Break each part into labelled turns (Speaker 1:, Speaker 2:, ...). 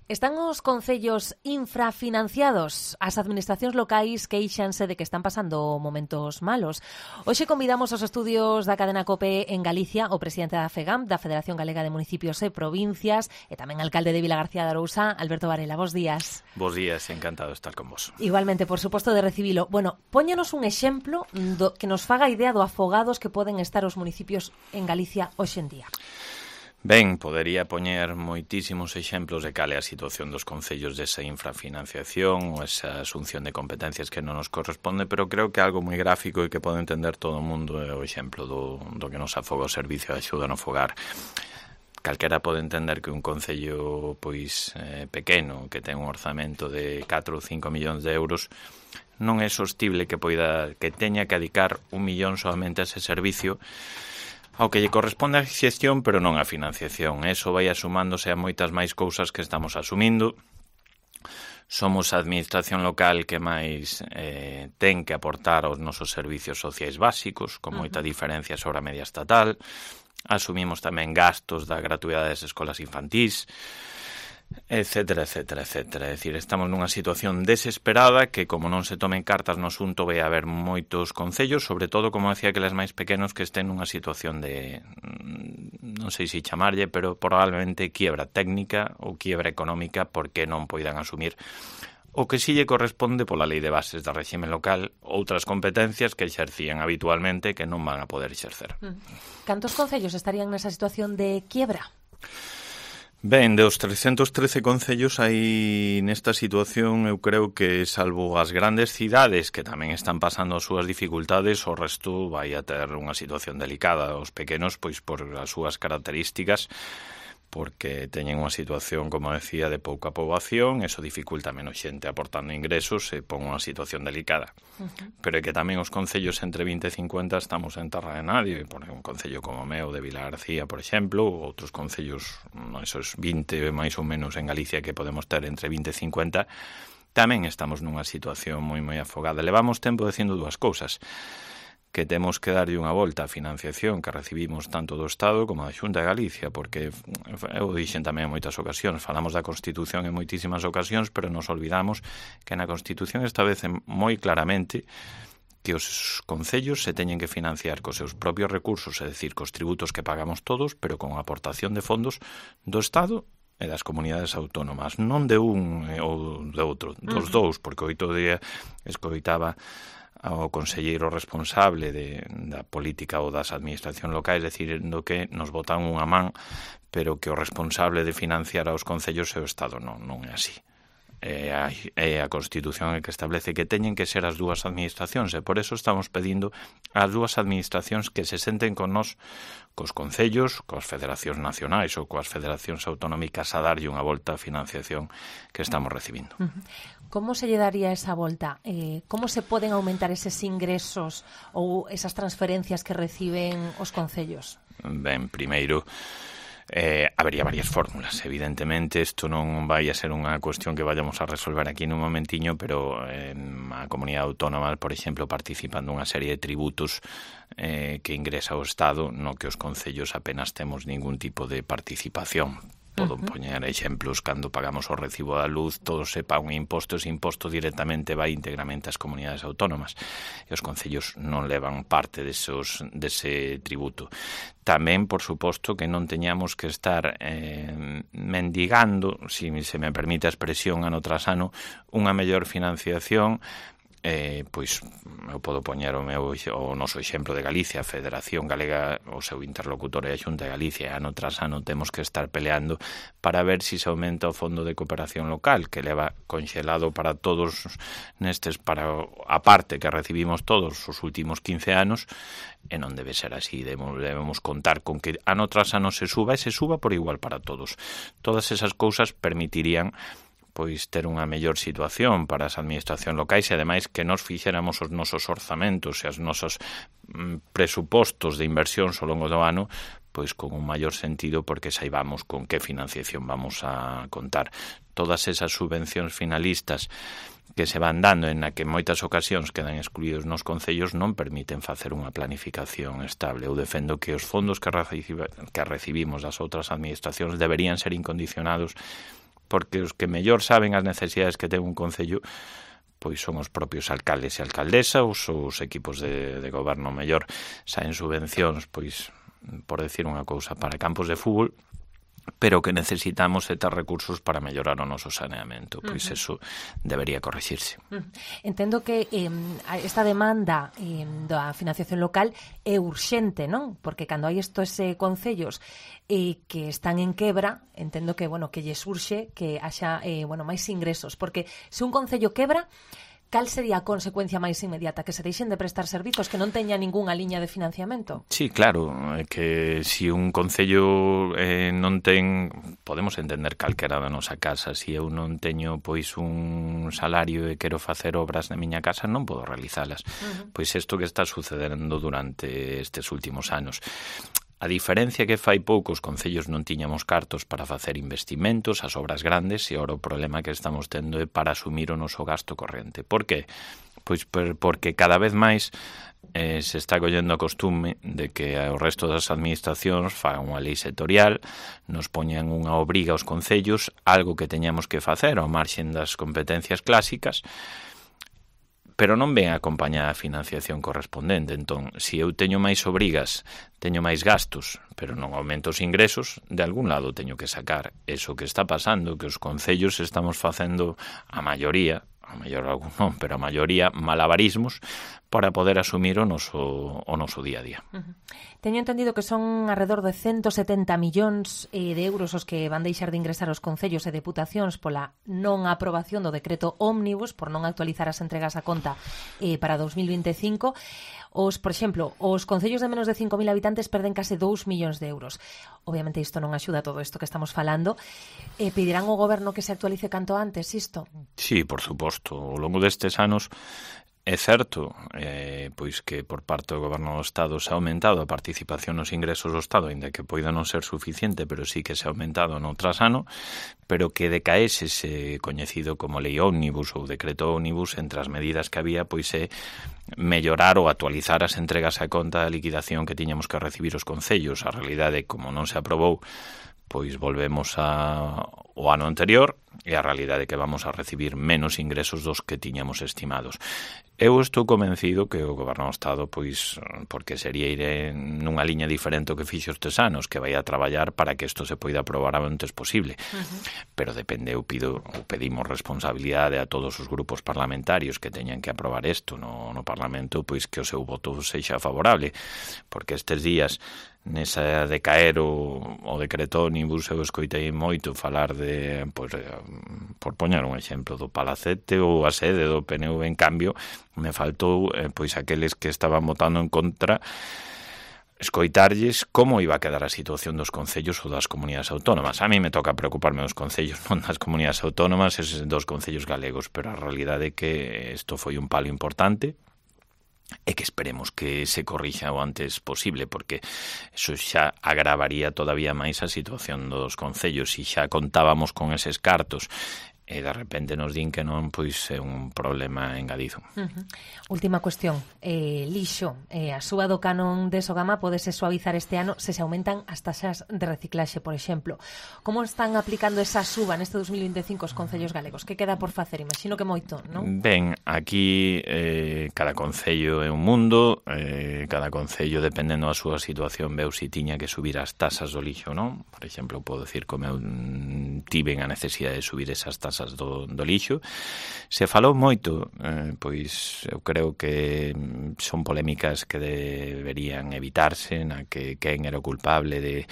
Speaker 1: Están os concellos infrafinanciados? As administracións locais queixanse de que están pasando momentos malos. Hoxe convidamos aos estudios da cadena COPE en Galicia o presidente da FEGAM, da Federación Galega de Municipios e Provincias, e tamén alcalde de Vilagarcía de Arousa, Alberto Varela. Bos días.
Speaker 2: Bos días, encantado de estar con vos.
Speaker 1: Igualmente, por suposto, de recibilo. Bueno, póñanos un exemplo que nos faga idea do afogados que poden estar os municipios en Galicia hoxe en día.
Speaker 2: Ben, podería poñer moitísimos exemplos de cal é a situación dos concellos desa infrafinanciación ou esa asunción de competencias que non nos corresponde, pero creo que algo moi gráfico e que pode entender todo o mundo é o exemplo do que nos afoga o Servicio de Axuda no Fogar. Calquera pode entender que un concello pequeno, que ten un orzamento de 4 ou 5 millóns de euros, non é sostible que teña que dedicar 1 millón solamente a ese servicio, ao que lle corresponde a xestión, pero non a financiación. Eso vai asumándose a moitas máis cousas que estamos asumindo. Somos a administración local que máis ten que aportar aos nosos servicios sociais básicos, con moita diferencia sobre a media estatal. Asumimos tamén gastos da gratuidade das escolas infantís, etcétera, etcétera, etcétera. É dicir, estamos nunha situación desesperada que, como non se tomen cartas no asunto, vai haber moitos concellos, sobre todo, como decía, aqueles máis pequenos que estén nunha situación de, non sei se chamarlle, pero probablemente quiebra técnica ou quiebra económica porque non poidan asumir o que si lle corresponde pola lei de bases da réxime local, outras competencias que exercían habitualmente que non van a poder exercer.
Speaker 1: Cantos concellos estarían nesa situación de quiebra?
Speaker 2: Ben, dos 313 concellos aí nesta situación, eu creo que, salvo as grandes cidades que tamén están pasando as súas dificultades, o resto vai a ter unha situación delicada. Os pequenos, pois por as súas características, porque teñen unha situación, como decía, de pouca poboación, eso dificulta menos xente aportando ingresos e pon unha situación delicada. Pero é que tamén os concellos entre 20 e 50 estamos en terra de nadie, por un concello como o meu de Vilagarcía, por exemplo, ou outros concellos, esos 20 máis ou menos en Galicia que podemos ter entre 20 e 50, tamén estamos nunha situación moi afogada. Levamos tempo dicindo dúas cousas: que temos que darlle unha volta á financiación que recibimos tanto do Estado como da Xunta de Galicia, porque eu dixen tamén en moitas ocasións, falamos da Constitución en moitísimas ocasións, pero nos olvidamos que na Constitución establece moi claramente que os concellos se teñen que financiar cos seus propios recursos, é dicir, cos tributos que pagamos todos, pero con aportación de fondos do Estado e das comunidades autónomas, non de un ou de outro, dos dous, porque outro día escoitaba ao conselleiro responsable da política ou das administracións locais dicindo que nos botan unha man, pero que o responsable de financiar aos concellos é o Estado. Non é así. É a Constitución que establece que teñen que ser as dúas administracións, e por eso estamos pedindo ás dúas administracións que se senten con nós, cos concellos, coas federacións nacionais ou coas federacións autonómicas, a darlle unha volta á financiación que estamos recibindo.
Speaker 1: Como se lle daría esa volta? Como se poden aumentar eses ingresos ou esas transferencias que reciben os concellos? Ben,
Speaker 2: primeiro, habería varias fórmulas. Evidentemente, isto non vai a ser unha cuestión que vayamos a resolver aquí nun momentiño, pero a comunidade autónoma, por exemplo, participan dunha serie de tributos que ingresa o Estado, no que os concellos apenas temos ningún tipo de participación. Podo poñer exemplos: cando pagamos o recibo da luz, todo se paga un imposto, ese imposto directamente vai íntegramente ás comunidades autónomas, e os concellos non levan parte dese tributo. Tamén, por suposto, que non teñamos que estar mendigando, se me permite a expresión, ano tras ano, unha mellor financiación. Pois eu podo poñer o noso exemplo de Galicia, a Federación Galega, o seu interlocutor é a Xunta de Galicia, ano tras ano temos que estar peleando para ver se aumenta o Fondo de Cooperación Local, que leva conxelado para todos para a parte que recibimos todos os últimos 15 anos, e non debe ser así. Debemos contar con que ano tras ano se suba, e se suba por igual para todos. Todas esas cousas permitirían ter unha mellor situación para as administracións locais, e ademais que nos fixéramos os nosos orzamentos e os nosos presupostos de inversións ao longo do ano con un maior sentido, porque saibamos con que financiación vamos a contar. Todas esas subvencións finalistas que se van dando, en a que en moitas ocasións quedan excluídos nos concellos, non permiten facer unha planificación estable. Eu defendo que os fondos que recibimos das outras administracións deberían ser incondicionados porque os que mellor saben as necesidades que ten un concello pois son os propios alcaldes e alcaldesas, os equipos de goberno mellor saen subvencións, pois, por decir unha cousa, para campos de fútbol, pero que necesitamos ter recursos para mellorar o noso saneamento. Pois eso debería corrixirse.
Speaker 1: Entendo que esta demanda da financiación local é urxente, non? Porque cando hai estes concellos que están en quebra, entendo que, bueno, que lle surxe que haxa, máis ingresos. Porque se un concello quebra, cal sería a consecuencia máis inmediata? Que se deixen de prestar servizos, que non teña ningunha liña de financiamento?
Speaker 2: Sí, claro, que se un concello non ten, podemos entender calquera da nosa casa, se eu non teño pois un salario e quero facer obras na miña casa, non podo realizalas. Pois isto que está sucedendo durante estes últimos anos. A diferencia que fai pouco os concellos non tiñamos cartos para facer investimentos, as obras grandes, e ora o problema que estamos tendo é para asumir o noso gasto corrente. Por que? Pois porque cada vez máis se está collendo a costume de que o resto das administracións fagan unha lei sectorial, nos poñan unha obriga aos concellos, algo que teñamos que facer ao marxen das competencias clásicas, pero non ven acompañada a financiación correspondente. Entón, se eu teño máis obrigas, teño máis gastos, pero non aumento os ingresos, de algún lado teño que sacar. Eso que está pasando, que os concellos estamos facendo a maioría, a mellor algún non, pero a maioría malabarismos para poder asumir o noso día a día.
Speaker 1: Teño entendido que son alrededor de 170 millóns de euros os que van deixar de ingresar os concellos e deputacións pola non aprobación do decreto ómnibus, por non actualizar as entregas a conta para 2025. Por exemplo, os concellos de menos de 5.000 habitantes perden case 2 millóns de euros. Obviamente isto non axuda a todo isto que estamos falando. Pedirán ao goberno que se actualice canto antes isto?
Speaker 2: Sí, por suposto. Ao longo destes anos é certo, pois que por parte do Goberno do Estado se ha aumentado a participación nos ingresos do Estado, ainda que poida non ser suficiente, pero sí que se ha aumentado no tras ano, pero que decaese ese coñecido como lei ómnibus ou decreto ómnibus, entre as medidas que había, pois é mellorar ou actualizar as entregas a conta da liquidación que tiñamos que recibir os concellos. A realidade, como non se aprobou, pois volvemos ao ano anterior, e a realidade é que vamos a recibir menos ingresos dos que tiñamos estimados. Eu estou convencido que o Goberno do Estado, pois, porque sería ir nunha liña diferente ao que fixo estes anos, que vai a traballar para que isto se poida aprobar o antes posible. Pero depende, pedimos responsabilidade a todos os grupos parlamentarios que teñan que aprobar isto no Parlamento, pois que o seu voto sexa favorable, porque estes días nesa de caer o decreto ómnibus eu escoitei moito falar de, pois, por poñer un exemplo, do Palacete ou a sede do PNV. En cambio, me faltou pois aqueles que estaban votando en contra escoitarlles como iba a quedar a situación dos concellos ou das comunidades autónomas. A mí me toca preocuparme dos concellos, non das comunidades autónomas, dos concellos galegos, pero a realidade é que isto foi un palo importante e que esperemos que se corrixa o antes posible, porque eso xa agravaría todavía máis a situación dos concellos. Se xa contábamos con eses cartos e de repente nos din que non, pois é un problema engadido.
Speaker 1: Última cuestión, lixo, a suba do canon de Sogama podese suavizar este ano se aumentan as taxas de reciclaxe, por exemplo. Como están aplicando esa suba neste 2025 os concellos galegos? Que queda por facer? Imagino que moito, non?
Speaker 2: Ben, aquí cada concello é un mundo, cada concello, dependendo da súa situación, veu se tiña que subir as taxas do lixo, non? Por exemplo, podo dicir como eu tiven a necesidade de subir esas taxas do lixo. Se falou moito, pois eu creo que son polémicas que deberían evitarse, na que quen era o culpable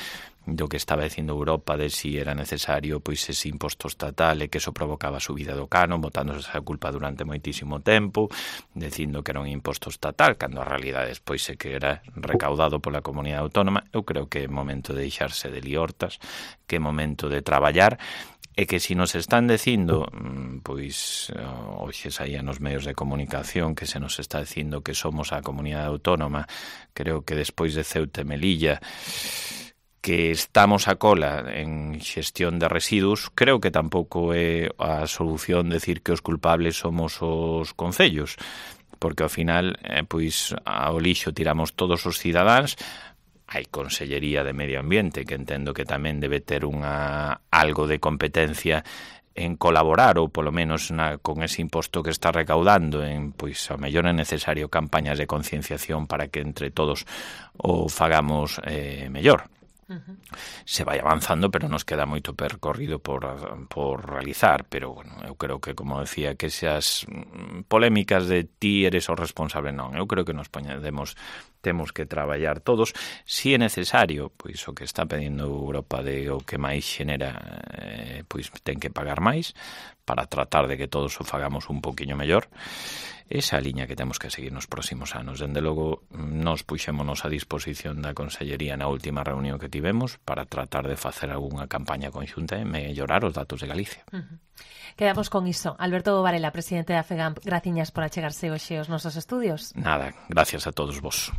Speaker 2: do que estaba dicindo Europa, de si era necesario pois ese imposto estatal e que eso provocaba a subida do canon, botándose esa culpa durante moitísimo tempo, dicindo que era un imposto estatal, cando a realidade despois é que era recaudado pola comunidade autónoma. Eu creo que é momento de deixarse de liortas, que é momento de traballar, e que se nos están dicindo, pois hoxe saía nos medios de comunicación que se nos está dicindo que somos a comunidade autónoma, creo que despois de Ceuta e Melilla, que estamos a cola en xestión de residuos, creo que tampouco é a solución decir que os culpables somos os concellos, porque ao final, pois ao lixo tiramos todos os cidadáns. hai Consellería de Medio Ambiente, que entendo que tamén debe ter algo de competencia en colaborar, ou polo menos con ese imposto que está recaudando, pois ao mellor é necesario campañas de concienciación para que entre todos o fagamos mellor. Se vai avanzando, pero nos queda moito percorrido por realizar, pero bueno, eu creo que, como decía, que esas polémicas de ti eres o responsable, non, eu creo que nos temos que traballar todos, si é necesario, pois o que está pedindo Europa de o que máis xenera, pois ten que pagar máis para tratar de que todos o fagamos un poquinho mellor. Esa liña que temos que seguir nos próximos anos. Dende logo, nos puxémonos a disposición da Consellería na última reunión que tivemos para tratar de facer algunha campaña conxunta e mellorar os datos de Galicia.
Speaker 1: Quedamos con iso. Alberto Varela, presidente da FEGAMP, graciñas por achegarse hoxe aos nosos estudios.
Speaker 2: Nada, gracias a todos vos.